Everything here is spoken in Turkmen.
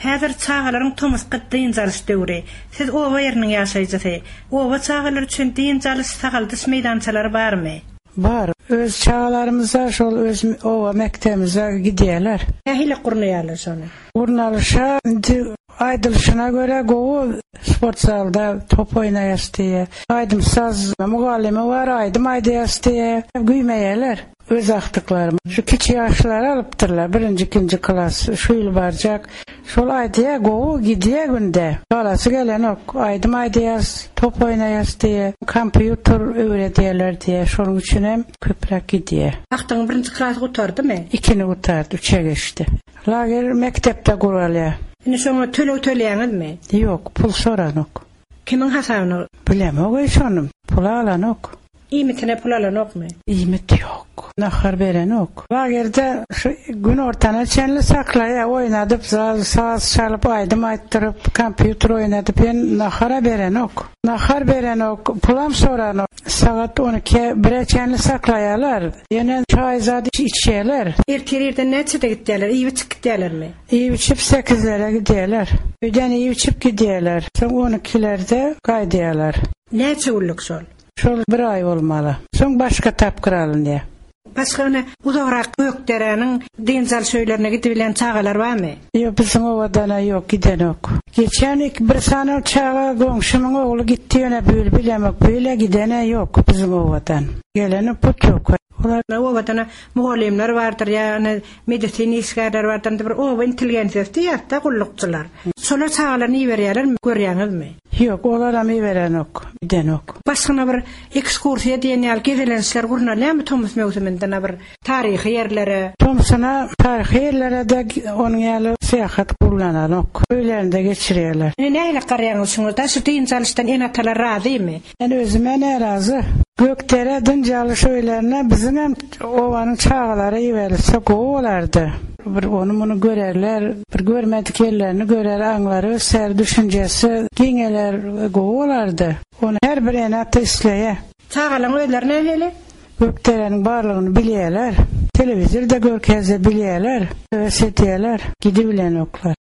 Häzir çagalaryň tomusky dynç alyş döwri. Siz oba ýeriniň ýaşaýjysy. Oba çagalary üçin dynç alyş, sagaldyş meýdançalary barmy? Bar. Öz çagalarymyz-da şol öz oba mekdebimize gidýärler. Nähili gurnaýarlar şony? Gurnalyşa indi aýdylyşyna görä gowy sport zalda top oýnaýas diýýär. Aýdym-saz mugallymy bar, aýdym aýdýas diýýär. Güýmeýärler. Öz agtyklarym. Şu kiçi ýaşlary alypdyrlar, birinji, ikinji klas, şu ýyl barjak. Şol aýdýar, gowy gidýär günde. Galasy gelenok. Aýdym aýdýas, top oýnaýas diýýär. Kompýuter öwredýärler diýýär. Şonuň üçinem köpräk gidýär. Agtygyň birinji klasy gutardymy? Ikini gutardy, üçe geçdi. Lager mekdepde guralýar. Indi şoňa töleg töleýäňizmi? Ýok, pul soranok. Kimiň hasabyna? Bilemog-eý şony. Pul alanok. Iýmitine pul alanokmy? Iýmit ýok. Nahar berenok. Lagerde şu günortana çenli saklaýar, oýnadyp, saz çalyp, aýdym aýtdyryp, kompýuter oýnadyp, ýöne nahar-a berenok. Nahar berenok, pulam soranok. Sagat on ikä, bire çenli saklaýarlar. Ýöne çaý zat içýärler. Ertir irden näçede gitýärler? Iýip-içip gitýärlermi? Iýip-içip sekizlere gidýärler. Öýden iýip-içip gidýärler. Soň on ikilerde gaýdýarlar. Näçe günlük şol? Şol bir aý bolmaly. Soň başga tapgyr alynýar. Başga ine uzagrak Gökderäniň dynç alyş öýlerine gidibilýän çagalar barmy? Ýok, biziň obadan-a ýok, gidenok. Geçen ik bir sany çaga goňşymyň ogly gitdi ýöne bu ýyl bilemok, bu ýyl-ä giden-ä ýok biziň obadan. Geleni putýowka. Olar obadan-a mugallymlar bardyr ýa ine medisina işgärleri bardyr, indi bir oba intelligensiýasy diýýäs-dä gullukçylar. Şolar çagalaryny iberýärlermi, görýäňizmi? Ýok, olaram iberenok, gidenok. Başgana bir ekskursiýa diýen ýaly gezelençler gurnalýarmy tomus möwsüminde na bir taryhy ýerlere? Tomsuna taryhy ýerlere-de onuň ýaly syýahat gurnananok. Öýlerinde geçirýärler. Indi nähili garaýaňyz şuňa-da, şu dynç alyşdan ene-atalar razymy? Men özüm-ä närazy. Gökdere dynç alyş öýlerine biziňem obanyň çagalary iberilse gowy bolardy. Bir ony-muny görerler, bir görmedik ýerlerini görer, aňlary öser, düşünjesi giňeler, gowy bolardy. Ony her bir ene-ata isleýär. Çagalaryň özleri nähili? Gökderäniň barlygyny bilýärler. Telewizorda görkezse bilýärler, höwes edýärler, gidibilenoklar.